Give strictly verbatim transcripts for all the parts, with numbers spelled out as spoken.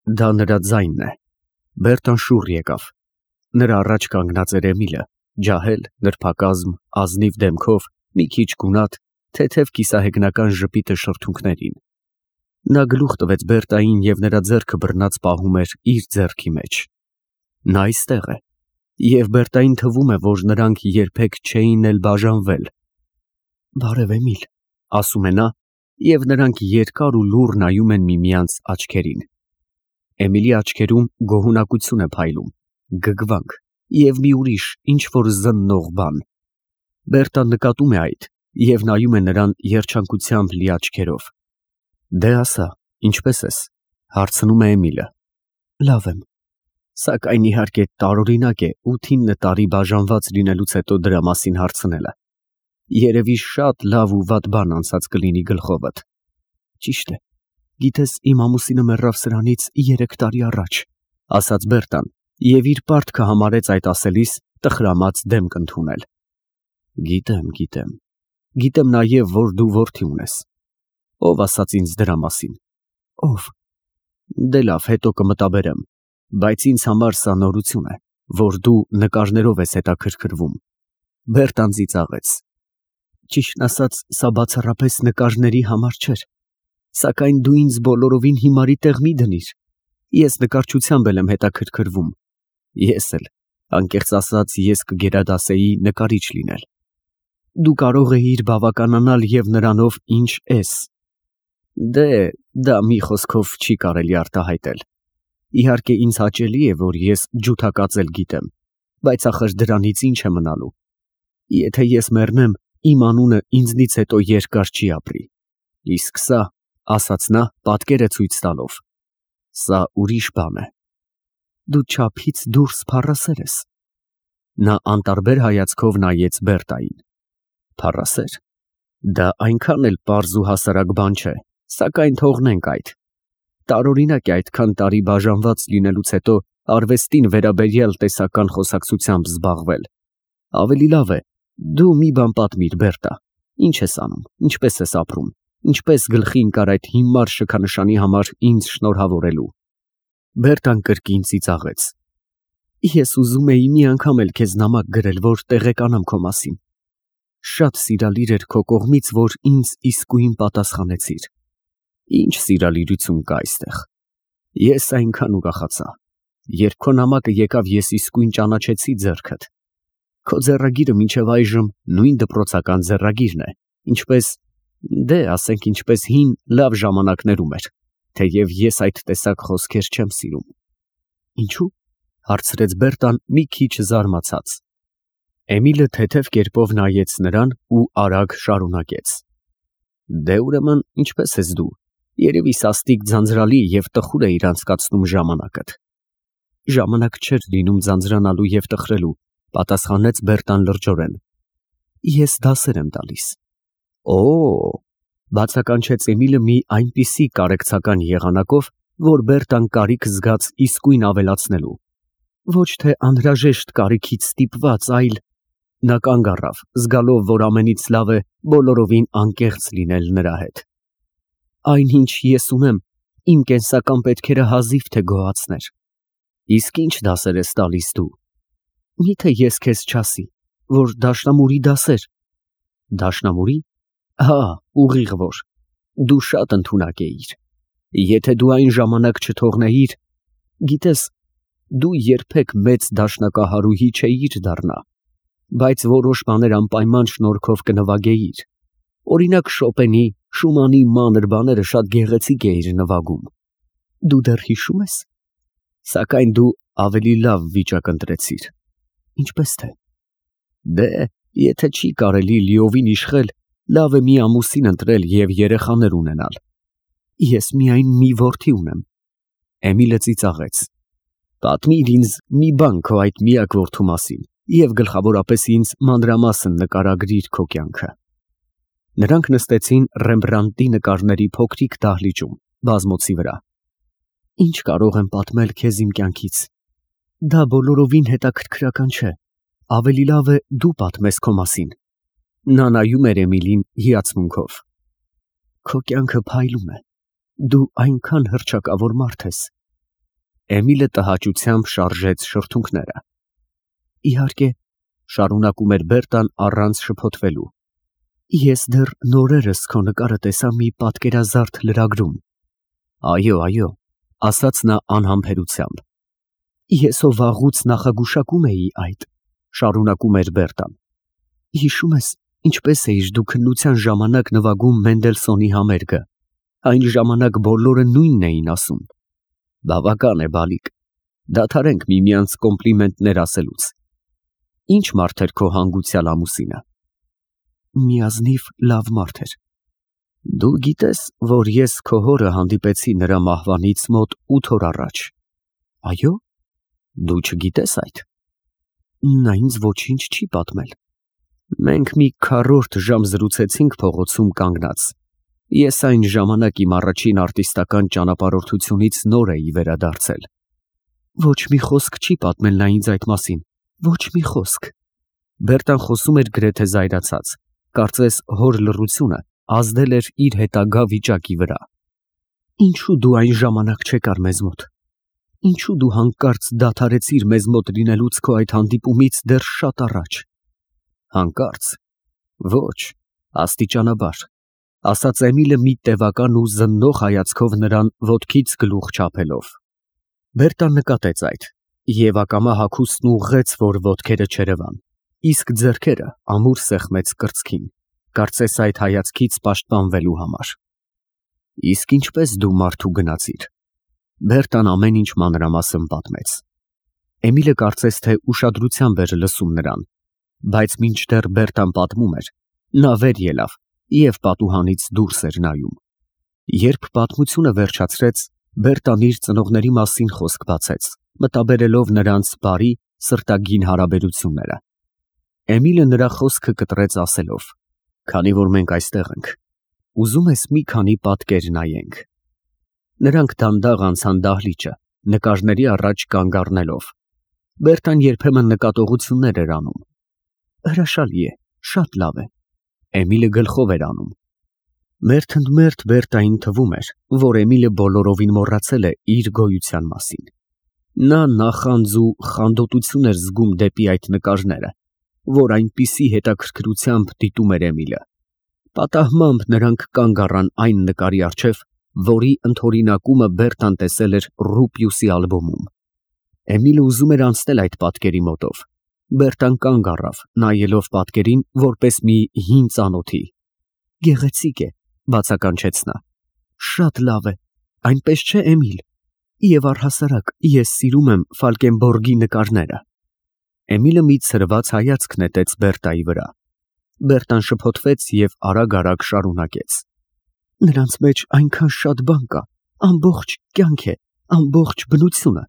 Դա նրա ձայնն է։ Բերտան շուռ եկավ։ Նրա առաջ կանգնած էր Էմիլը, ջահել, նրբակազմ, ազնիվ դեմքով, մի քիչ գունատ, թեթև կիսահեգնական ժպիտը շրթունքներին։ Նա գլուխ տվեց Բերտային և նրա ձեռքը բռնած պահում էր իր ձեռքի մեջ։ Նա այստեղ է, և Բերտային թվում է, որ նրանք երբեք չէին էլ բաժանվել։ Բարև, Էմիլ, ասում է նա, և նրանք երկար ու լուռ նայում են միմյանց աչքերին։ Էմիլի աչքերում գոհունակություն է փայլում, գգվանք և մի ուրիշ ինչ-որ զննող բան։ Բերտան նկատում է այդ և նայում է նրան երջանկությամբ լի աչքերով։ Դե ասա, ինչպե՞ս ես, հարցնում է Էմիլը։ Լավ եմ, սակայն իհարկե տարօրինակ է ութինը տարի բաժանված լինելուց հետո դրա մասին հարցնելը։ Երևի շատ լավ ու վատ բան անցած կլինի գլխովդ։ Ճիշտ է, գիտես, իմ ամուսինը մեռավ սրանից երեք տարի առաջ, ասաց Բերտան և իր պարտքը համարեց այդ ասելիս տխրամած դեմք ընդունել։ Գիտեմ, գիտեմ, գիտեմ նաև, որ դու որդի ունես։ Ո՞վ ասաց ինձ դրա մասին։ Ո՞վ։ Դե լավ, հետո կմտաբերեմ, բայց ինձ համար սա նորություն է, որ դու նկարներով ես հետաքրքրվում։ Բերտան ծիծաղեց։ Ճիշտն ասած, սա բացառապես նկարների համար չէր, սակայն դու ինձ բոլորովին հիմարի տեղ մի դնիր։ Ես նկարչությամբ եմ հետաքրքրվում։ Ես էլ, անկեղծ ասած, ես կգերադասեի նկարիչ լինել։ Դու կարող էիր բավականանալ և նրանով, ինչ ես։ Դե, դա մի խոսքով չի կարելի արտահայտել։ Իհարկե ինձ հաճելի է, որ ես ջութակածել գիտեմ, բայց ախր դրանից ինչ է մնալու։ Եթե ես մեռնեմ, իմ անունը ինձնից հետո երկար չի ապրի։ Իսկ սա, ասաց նա, պատկերը ցույց տալով, սա ուրիշ բան է։ Դու չափից դուրս փառասեր ես։ Նա անտարբեր հայացքով նայեց Բերտային։ Փառասեր։ Դա այնքան էլ պարզ ու հասարակ բան չէ, սակայն թողնենք այդ։ Տարօրինակ է այդքան տարի բաժանված լինելուց հետո արվեստին վերաբերյալ տեսական խոսակցությամբ զբաղվել։ Ավելի լավ է, դու մի բան պատմիր, Բերտա, ինչ ես անում, ինչպես ես ապրում, ինչպես գլխի ընկար այդ հիմար շքանշանի համար ինձ շնորհավորելու։ Բերտան կրկին ծիծաղեց։ Ես ուզում էի մի անգամ էլ քեզ նամակ գրել, որ տեղեկանամ քո մասին։ Շատ սիրալիր էր քո կողմից, որ ինձ իսկույն պատասխանեցիր։ Ինչ սիրալիրություն կա այստեղ։ Ես այնքան ուրախացա։ Երբ քո նամակը եկավ, ես իսկույն ճանաչեցի ձեռքդ։ Քո ձեռագիրը մինչև այժմ նույն դպրոցական ձեռագիրն է, ինչպես, դե, ասենք ինչպես հին լավ ժամանակներում էր, թեև ես այդ տեսակ խոսքեր չեմ սիրում։ Ինչու՞, հարցրեց Բերտան մի քիչ զարմացած։ Էմիլը թեթև կերպով նայեց նրան ու արագ շարունակեց. Դե ուրեմն, ինչպես ես դու, երևի սաստիկ ձանձրալի և տխուր էիր անցկացնում ժամանակդ։ Ժամանակ չէր լինում ձանձրանալու և տխրելու, պատասխանեց Բերտան լրջորեն։ Ես դասեր եմ տալիս։ Օ, բացականչեց Էմիլը մի այնպիսի կարեկցական եղանակով, որ Բերտան կարիք զգաց իսկույն ավելացնելու։ Ոչ թե անհրաժեշտ կարիքից ստիպված, այլ… Նա կանգ առավ, զգալով, որ ամենից լավ է բոլորովին անկեղծ լինել նրա հետ։ Այն, ինչ ես ունեմ, իմ կենսական պետքերը հազիվ թե գոհացներ։ Իսկ ինչ դասեր ես տալիս դու։ Միթե ես քեզ չասի, որ դաշնամուրի դասեր։ Դաշնամուրի։ Հա, ուղիղ որ։ Դու շատ ընդունակ էիր։ Եթե դու այն ժամանակ չթողնեիր, գիտես, դու երբեք մեծ դաշնակահարուհի չէիր դառնա, բայց որոշ բաներ անպայման շնորհքով կնվագեիր։ Օրինակ Շոպենի, Շումանի մանր բաները շատ գեղեցիկ էիր նվագում։ Դու դեռ հիշում ես։ Սակայն դու ավելի լավ վիճակ ընտրեցիր։ Ինչպես թե։ Դե, եթե չի կարելի լիովին իշխել, լավ է մի ամուսին ընտրել և երեխաներ ունենալ։ Ես միայն մի որդի ունեմ։ Էմիլը ծիծաղեց։ Պատմիր ինձ մի բան քո այդ միակ որդու մասին և գլխավորապես ինձ մանրամասն նկարագրիր քո կյանքը։ Նրանք նստեցին Ռեմբրանդտի նկարների փոքրիկ դահլիճում, բազմոցի վրա։ Ինչ կարող եմ պատմել քեզ իմ կյանքից։ Դա բոլորովին հետաքրքրական չէ։ Ավելի լավ է դու պատմես քո մասին։ Նա նայում էր Էմիլին հիացմունքով։ Քո կյանքը փայլում է։ Դու այնքան հռչակավոր մարդ ես։ Էմիլը տհաճությամբ շարժեց շրթունքները։ Իհարկե, շարունակում էր Բերտան առանց շփոթվելու, ես դեռ նորերս քո նկարը տեսա մի պատկերազարդ լրագրում։ Այո, այո, ասաց նա անհամբերությամբ։ Ես ով վաղուց նախագուշակում էի այդ, շարունակում էր Բերտան։ Հիշում ես, ինչպես էիր դու քննության ժամանակ նվագում Մենդելսոնի համերգը։ Այն ժամանակ բոլորը նույնն էին ասում։ Բավական է, բալիկ, դադարենք միմյանց կոմպլիմենտներ ասելուց։ Ինչ մարդ էր քո հանգուցյալ ամուսինը։ Միազնիվ լավ մարդ էր։ Դու գիտես, որ ես քո հորը հանդիպեցի նրա մահվանից մոտ ութ օր առաջ։ Այո։ Դու չգիտես այդ։ Նա ինձ ոչինչ չի պատմել։ Մենք մի քառորդ ժամ զրուցեցինք փողոցում կանգնած։ Ես այն ժամանակ իմ առաջին արտիստական ճանապարհորդությունից նոր էի վերադարձել։ Ոչ մի խոսք չի պատմել նա ինձ այդ մասին։ Ոչ մի խոսք։ Բերտան խոսում էր գրեթե զայրացած, կարծես հոր լռությունը ազդել էր իր հետագա վիճակի վրա։ Ինչու դու այն ժամանակ չեկար մեզ մոտ։ Ինչու դու հանկարծ դադարեցիր մեզ մոտ լինելուց քո այդ հանդիպումից դեռ շատ առաջ։ Հանկարծ։ Ոչ, աստիճանաբար, ասաց Էմիլը մի տևական ու զննող հայացքով նրան ոտքից գլուխ չափելով։ Բերտան նկատեց այդ և ակամա հագուստն ուղղեց, որ ոտքերը չերևան, իսկ ձեռքերը ամուր սեղմեց կրծքին, կարծես այդ հայացքից պաշտպանվելու համար։ Իսկ ինչպես դու մարդու գնացիր։ Բերտան ամեն ինչ մանրամասն պատմեց։ Էմիլը կարծես թե ուշադրությամբ էր լսում նրան, բայց մինչդեռ Բերտան պատմում էր, նա վեր ելավ և պատուհանից դուրս էր նայում։ Երբ պատմությունը վերջացրեց, Բերտան իր ծնողների մասին խոսք բացեց, մտաբերելով նրանց բարի, սրտագին հարաբերությունները։ Էմիլը նրա խոսքը կտրեց ասելով. Քանի որ մենք այստեղ ենք, ուզում ես մի քանի պատկեր նայենք։ Նրանք դանդաղ անցան դահլիճը, նկարների առաջ կանգ առնելով։ Բերտան երբեմն նկատողություններ էր անում։ Հրաշալի է, շատ լավ է։ Էմիլը գլխով էր անում։ Մերթընդմերթ Բերտային թվում էր, որ Էմիլը բոլորովին մոռացել է իր գոյության մասին։ Նա նախանձ ու խանդոտություն էր զգում դեպի այդ նկարները, որ այնպիսի հետաքրքրությամբ դիտում էր Էմիլը։ Պատահմամբ նրանք կանգ առան այն նկարի առջև, որի ընդօրինակումը Բերտան տեսել էր Ռուպիուսի ալբոմում։ Էմիլը ուզում էր անցնել այդ պատկերի մոտով։ Բերտան կանգ առավ, նայելով պատկերին որպես մի հին ծանոթի։ Գեղեցիկ է, բացականչեց նա։ Շատ լավ է, այնպես չէ, Էմիլ։ Եվ առհասարակ ես սիրում եմ Ֆալկենբորգի նկարները։ Էմիլը մի ցրված հայացք նետեց Բերտայի վրա։ Բերտան շփոթվեց և արագ-արագ շարունակեց։ Նրանց մեջ այնքան շատ բան կա, ամբողջ կյանք է, ամբողջ բնությունը։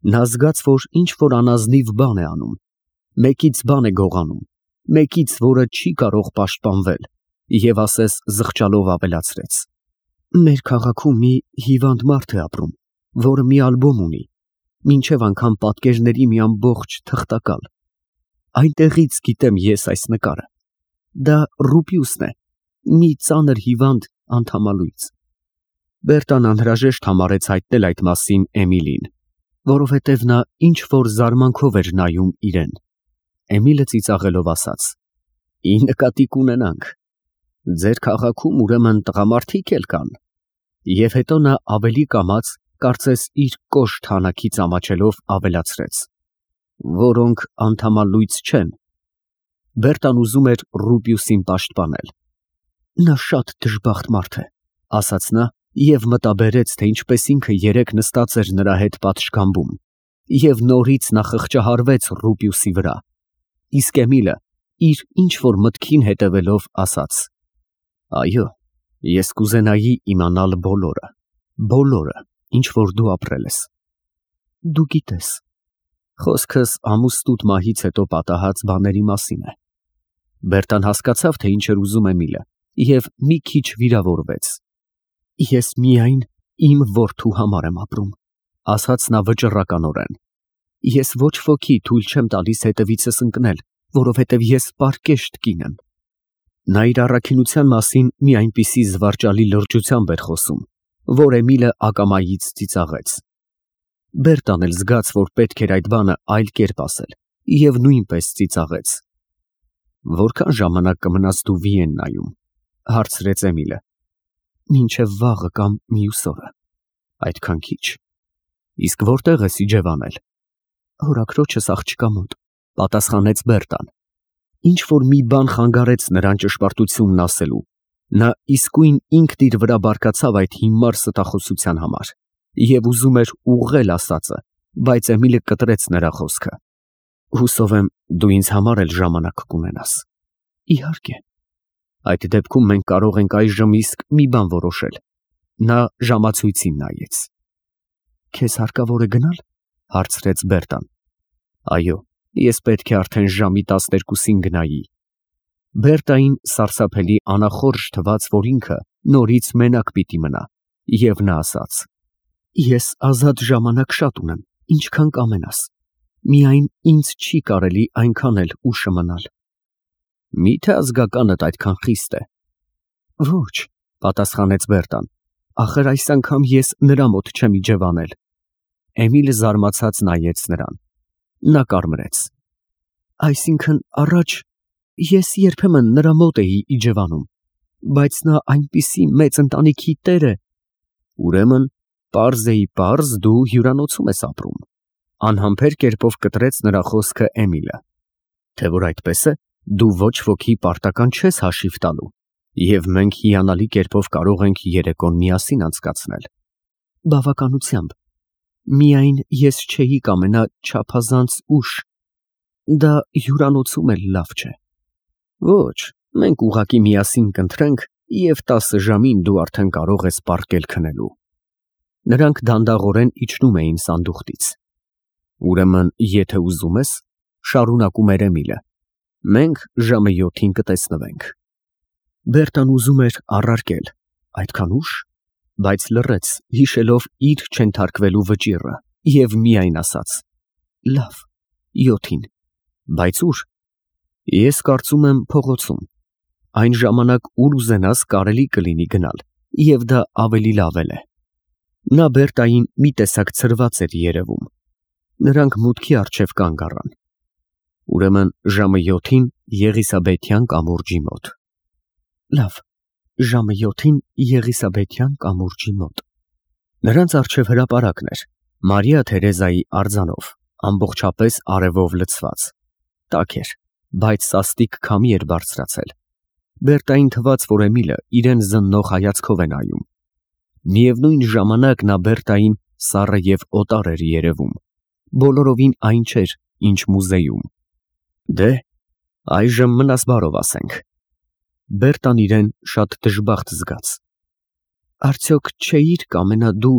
Նա զգաց, որ ինչ-որ անազնիվ բան է անում։ Մեկից բան է գողանում, մեկից, որը չի կարող պաշտպանվել, և ասես զղջալով ավելացրեց. Մեր քաղաքում մի հիվանդ մարդ է ապրում, որը մի ալբոմ ունի, մինչև անգամ պատկերների մի ամբողջ թղթակալ։ Այնտեղից գիտեմ ես այս նկարը։ Դա Ռուպիուսն է, մի ծանր հիվանդ անդամալույծ։ Բերտան անհրաժեշտ համարեց հայտնել այդ մասին Էմիլին, որովհետև նա ինչ-որ զարմանքով էր նայում իրեն։ Էմիլը ծիծաղելով ասաց. Ի նկատի կունենանք։ Ձեր քաղաքում ուրեմն տղամարդիկ էլ կան։ Եվ հետո նա ավելի կամաց, կարծես իր կոշտ հանակից ամաչելով ավելացրեց. Որոնք անդամալույծ չեն։ Բերտան ուզում էր Ռուպիուսին պաշտպանել։ Նա շատ դժբախտ մարդ է, ասաց նա և մտաբերեց, թե ինչպես ինքը երեկ նստած էր նրա հետ պատշգամբում, և նորից նա խղճահարվեց Ռուպիուսի վրա։ Իսկ Էմիլը իր ինչ-որ մտքին հետևելով ասաց. Այո, ես կուզենայի իմանալ բոլորը, բոլորը, ինչ որ դու ապրել ես։ Դու գիտես։ Խոսքս ամուսնուտ մահից հետո պատահած բաների մասին է։ Բերտան հասկացավ, թե ինչ էր ուզում Էմիլը, և մի քիչ վիրավորվեց։ Ես միայն իմ որդու համար եմ ապրում, ասաց նա վճռականորեն։ Ես ոչ ոքի թույլ չեմ տալիս հետևիցս ընկնել, որովհետև ես պարկեշտ կին եմ։ Նա իր առաքինության մասին մի այնպիսի զվարճալի լրջությամբ էր խոսում, որ Էմիլը ակամայից ծիծաղեց։ Բերտան էլ զգաց, որ պետք էր այդ բանը այլ կերպ ասել, և նույնպես ծիծաղեց։ Որքան ժամանակ կմնաս դու Վիեննայում, հարցրեց Էմիլը։ Մինչև վաղը կամ մյուս օրը։ Այդքան քիչ։ Իսկ որտեղ ես իջևանել։ Հորաքրոջս աղջկա մոտ, պատասխանեց Բերտան։ Ինչ որ մի բան խանգարեց նրան ճշմարտությունն ասելու։ Նա իսկույն ինքն իր վրա բարկացավ այդ հիմար ստախոսության համար և ուզում էր ուղղել ասածը, բայց Էմիլը կտրեց նրա խոսքը։ Հուսով եմ, դու ինձ համար էլ ժամանակ կունենաս։ Իհարկե։ Այդ դեպքում մենք կարող ենք այժմ իսկ մի բան որոշել։ Նա ժամացույցին նայեց։ Քեզ հարկավոր է գնալ, հարցրեց Բերտան։ Այո, ես պետք է արդեն ժամի տասներկուսին գնայի։ Բերտային սարսափելի անախորժ թվաց, որ ինքը նորից մենակ պիտի մնա, և նա ասաց. Ես ազատ ժամանակ շատ ունեմ, ինչքան կամենաս, միայն ինձ չի կարելի այնքան էլ ուշը մնալ։ Մի՞թե ազգականդ այդքան խիստ է։ Ոչ, պատասխանեց Բերտան, ախր այս անգամ ես նրա մոտ չեմ իջևանել։ Էմիլը զարմացած նայեց նրան։ Նա կարմրեց։ Այսինքն առաջ ես երբեմն նրա մոտ էի իջևանում, բայց նա այնպիսի մեծ ընտանիքի տեր է։ Ուրեմն, պարզ էի պարզ, դու հյուրանոցում ես ապրում։ Անհամբեր կերպով կտրեց նրա խոսքը Էմիլը։ Թե որ այդպես է, դու ոչ ոքի պարտական չես հաշիվ տալու, և մենք հիանալի կերպով կարող ենք երեկոն միասին անցկացնել։ Բավականությամբ։ Միայն ես չէի կամենա չափազանց ուշ։ Դա հյուրանոցում էլ լավ չէ։ Ոչ, մենք ուղղակի միասին կընթրենք, և տասը ժամին դու արդեն կարող ես պառկել քնելու։ Նրանք դանդաղորեն իջնում էին սանդուղքից։ Ուրեմն, եթե ուզում ես, շարունակում էր Էմիլը, մենք ժամը յոթին կտեսնվենք։ Բերտան ուզում էր առարկել, այդքան ուշ, բայց լռեց, հիշելով իր չենթարկվելու վճիռը, և միայն ասաց. Լավ, յոթին, բայց ուր։ Ես կարծում եմ փողոցում։ Այն ժամանակ, ուր ուզենաս, կարելի կլինի գնալ, և դա ավելի լավ էլ է։ Նա Բերտային մի տեսակ ցրված էր երևում։ Նրանք մուտքի առջև կանգ առան։ Ուրեմն ժամը յոթին Եղիսաբեթյան կամուրջի մոտ։ Լավ, ժամը յոթին Եղիսաբեթյան կամուրջի մոտ։ Նրանց առջև հրապարակն էր, Մարիա Թերեզայի արձանով, ամբողջապես արևով լցված։ Տաք էր, բայց սաստիկ քամի էր բարձրացել։ Բերտային թվաց, որ Էմիլը իրեն զննող հայացքով է նայում։ Միևնույն ժամանակ նա Բերտային սառը և օտար էր երևում, բոլորովին այն չէր, ինչ մուզեում։ Դե, այժմ մնաս բարով ասենք։ Բերտան իրեն շատ դժբախտ զգաց։ Արդյոք չէիր կամենա դու,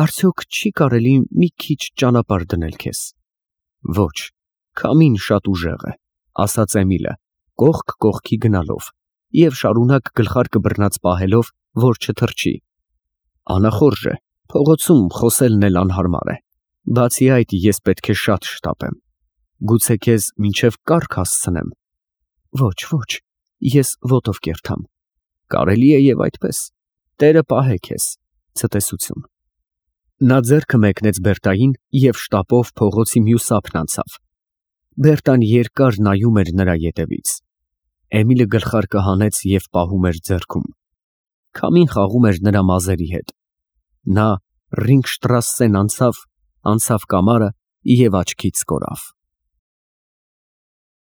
արդյոք չի կարելի մի քիչ ճանապարհ դնել քեզ։ Ոչ, քամին շատ ուժեղ է, ասաց Էմիլը, կողք կողքի գնալով և շարունակ գլխարկը բռնած պահելով, որ չթռչի։ Անախորժ է, փողոցում խոսելն էլ անհարմար է։ Բացի այդ, ես պետք է շատ շտապեմ։ Գուցե քեզ մինչև կառք հասցնեմ։ Ոչ, ոչ, ես ոտով կերթամ։ Կարելի է և այդպես։ Տերը պահե քեզ։ Ցտեսություն։ Նա ձեռքը մեկնեց Բերտային և շտապով փողոցի մյուս ափն անցավ։ Բերտան երկար նայում էր նրա ետևից։ Էմիլը գլխարկը հանեց և պահում էր ձեռքում։ Քամին խաղում էր նրա մազերի հետ։ Նա Ռինգշտրասսեն անցավ, անցավ կամարը և աչքից կորավ։